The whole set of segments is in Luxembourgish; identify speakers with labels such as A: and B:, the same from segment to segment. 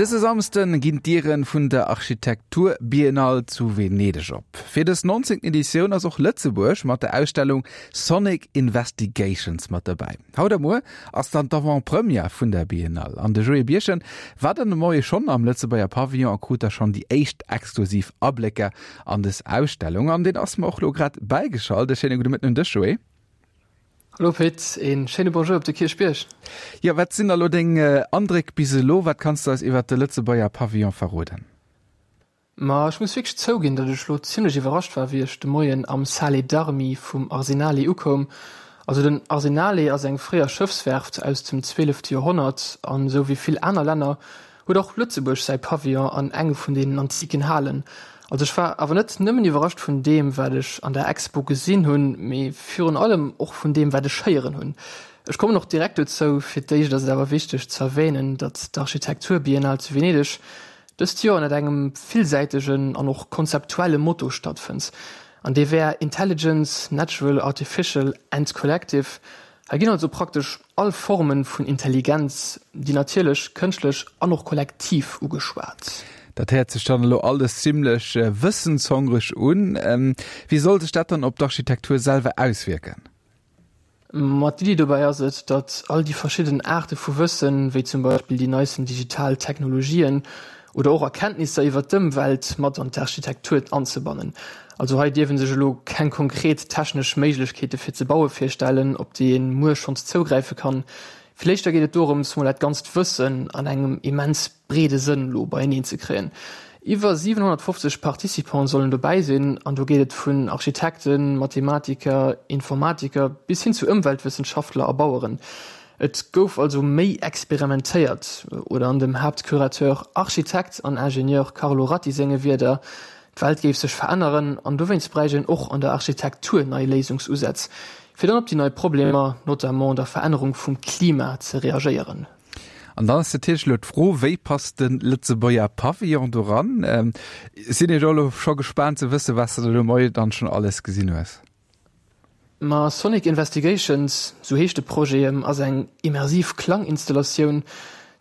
A: Dëse Samsden ginn d'Dieren vun der Architekturbiennale zu Venedeg op. Fir dës 19. Editioun ass och Lëtzebuerg mat der Ausstellung Sonic Investigations mat dobäi. Haut a muer ass dann d'Avant-Première vun der Biennale an de Joé Birchen war dann de Moie schonn am Lëtzebuerger Pavillon a krut da schonn déi éischt exklusiv Ablécker an dës Ausstellung. An deen ass mer och lo grad bäigeschalt. E schéine gudde Mëtten un dech, Joé.
B: Hallo Pit, een schéine Bonjour op de Kierchbierg.
A: Jo, wat sinn da lo deng Andréck bis elo? Wat kanns de eis iwwert de Lëtzebuerger Pavillon verroden?
B: Ma ech muss wierklech zouginn, datt ech lo zimlech iwwerrascht war, wéi ech de Moien am Sale d'Armi vum Arsenale ukoum. Also den Arsenale ass eng fréier Schëffswerft aus dem zwielefte Joerhonnert an esou wéi vill aner Länner huet och Lëtzebuerg säi Pavillon an enge vun deenen antiken Halen. Also ech war awer net nëmmen iwwerrascht vun deem wat ech an der Expo gesinn hunn, mee virun allem och vun deem wat ech héieren hunn. Ech kommen och direkt dozou. Fir d'éischt ass et awer wichteg ze erwähnen, datt d'Architekturbiennale zu Venedeg dëst Joer ënnert engem villsäitegen an och konzeptuelle Motto stattfënnt, an dee wär Intelligence, Natural, Artificial and Collective. Hei ginn also praktesch all Formen vun Intelligenz, déi natierlech, kënschtlech an och kollektiv, ugeschwat.
A: Dat héiert sech dann elo alles zimlech wëssenshongreg un. Wéi soll sech dat dann op d'Architektur selwer auswierken?
B: Ma d'Iddi dobäi ass et, datt all déi verschidden Aarte vu Wëssen, wéi zum Beispill déi neisten digital Technologien oder och Erkenntnisser iwwer d'Ëmwelt, mat an d'Architektur anzebannen. Also hei dierf een sech elo keng konkret technesch Méiglechkeete fir ze baue virstellen, op déi een muer schonns zougräife kann. Vill éischter geet et dorëms, mol dat ganzt Wëssen an engem immens breede Sënn elo beieneen ze kréien. Iwwer 750 Participants sollen dobäi sinn an do geet et vun Architekten, Mathematiker, Informatiker bis hin zu Ëmweltwëssenschaftler a Baueren. Et gouf also méi experimentéiert, oder an dem Haaptcurateur, Architekt an Ingenieur Carlo Ratti senge Wierder, D'Welt géif sech veränneren an dowéinst bräicht een och an der Architektur nei Léisungsusätz, fir dann op déi nei Problemer, notamment der Verännerung vum Klima, ze reagéieren.
A: An dann ass natierlech elo d'Fro, Wéi passt de Lëtzebuerger Pavillon doran? Sinn ech och elo scho gespaant ze wëssen, wat s de do moie dann schonn alles gesinn hues.
B: Ma Sonic Investigations, sou heescht de Projet, ass eng immersiv Klanginstallatioun.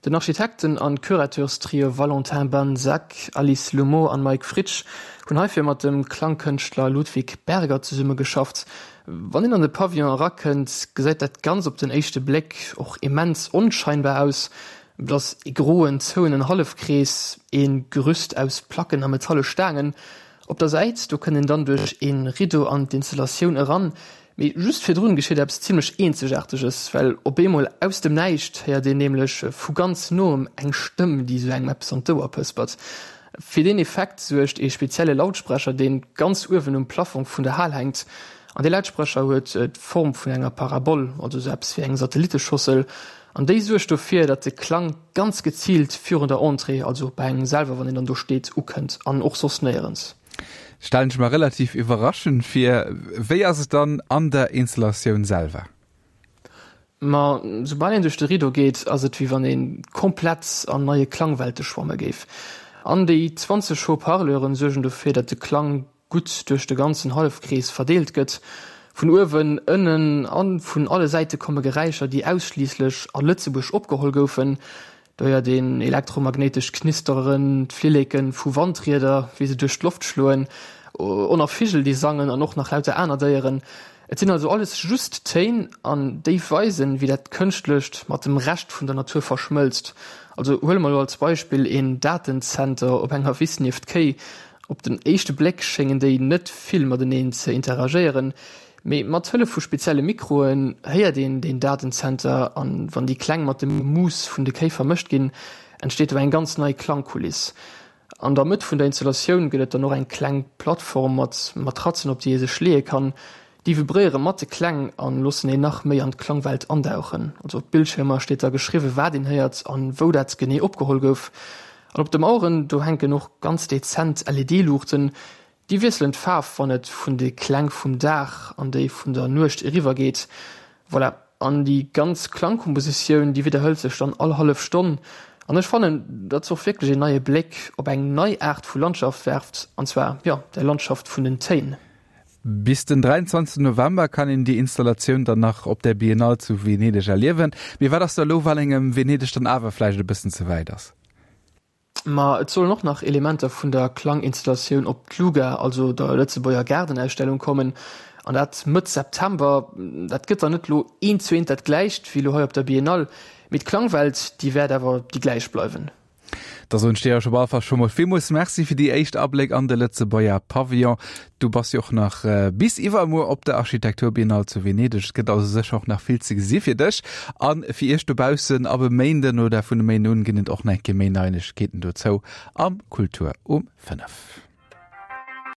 B: Den Architekten an Curateurstrio Valentin Banzac, Alice Loumeau an Mike Fritsch hunn heifir mat dem Klangkënschtler Ludwig Berger zesummegeschafft. Wann een an de Pavillon erakënnt, gesäit dat Ganz op den éischte Bléck och immens onscheinbar aus. Et ass ee groen, zouenen Hallefkrees, ee Gerüst aus Placken a metalle Staangen. Op der Säit, do kënnt een dann duerch een Rideau an d'Installatioun eran, mee just virdrun geschitt eppes zimlech eenzegaarteges, well op eemol aus dem Näischt héiert een nämlech vu ganz noem eng Stëmm, déi sou engem eppes an d'Ouer pëspert. Fir deen Effekt suergt ee spezielle Lautsprecher, deen ganz uewen um Plaffong vun der Hal hänkt. An dee Lautsprecher huet d'Form vun enger Parabol, also sou eppes wéi eng Satelliteschossel, an déi suergt dofir, datt de Klang Ganz geziilt virun der Entrée, also bei engem selwer, wann een dann do steet, ukënnt an och soss néierens.
A: Stellen ech mer relativ iwwerraschend vir. Wéi ass et dann an der Installatioun selwer?
B: Ma soubal een duerch de Rideau geet, ass et wéi wann ee komplett an neie Klangwelte schwamme géif. An déi 20 Haut-parleuren suergen dofir, datt de Klang gutt duerch de ganzen Hallefkrees verdeelt gëtt. Vun uewen, ënnen a vun alle Säite komme Geräischer, déi ausschliisslech a Lëtzebuerg opgeholl goufen. Do héiert een elektromagnéitesch Knisteren, d'Flilleke vu Wandrieder, wéi se duerch d'Loft schloen, och nach Vigel, déi sangen an och nach lauter aner Déieren. Et sinn also alles just Téin, an déi weisen, wéi dat Kënschtlecht mat dem Rescht vun der Natur verschmëlzt. Also huele mer elo als Beispill een Datenzenter op enger Wiss nieft Kéi. Op den éischte Bléck schéngen déi net vill mateneen ze interagéieren, mee mat Hëllef vu spezielle Mikroen héiert een deen Datenzenter an wann déi Kläng mat dem Gemuuss vun de Kéi vermëscht ginn, entsteet do eng ganz nei Klangkuliss. An der Mëtt vun der Installatioun gëtt et dann och eng kleng Plattform mat Matratzen op déi ee sech leeë kann. Déi vibréiere mat de Kläng an loossen een nach méi an d'Klangwelt andauchen. Also op d'Bildschiermer steet da geschriwwe wat een héiert an wou dat genee opgeholl gouf. An op de Maueren, do hänken och ganz dezent LED-Luuchten. Déi wiesselen d'Faarf wann et vun de Kläng vum Dag an déi vun der Nuecht eriwwer geet. Voilà, an déi ganz Klangkompositioun, déi widderhëlt sech dann all hallef Stonn. An ech fannen, datt se och wierklech een neie Bléck op eng nei Aart vu Landschaft werft, an zwar, jo, der Landschaft vun den Téin.
A: Bis den 23 November kann een déi Installatioun dann nach op der Biennale zu Venedeg erliewen. Mee wat ass da elo, wann engem Venedeg dann awer vläicht e bëssen ze wäit ass?
B: Ma et sollen och nach Elementer vun der Klanginstallatioun op d'Luga, also der Lëtzebuerger Gaardenausstellung kommen, an dat Mëtt September. Dat gëtt dann net lo eent zu eent dat gläicht wéi lo hei op der Biennale, mee d'Klangwelt, déi wäert awer déi gläich bleiwen.
A: Da soen ech dir jo scho bal fast scho mol villmools Merci fir déi éischt Abléck an de Lëtzebuerger Pavillon. Du bass jo och nach bis iwwermuer op der Architekturbiennale zu Venedeg. Et gëtt also sécher och nach vill ze gesi fir dech. A fir iech dobaussen, ab e Méinden oder vun e Méinden un ginn et och nach eng Kéier méi Neiegkeeten dozou am Kultur um 5.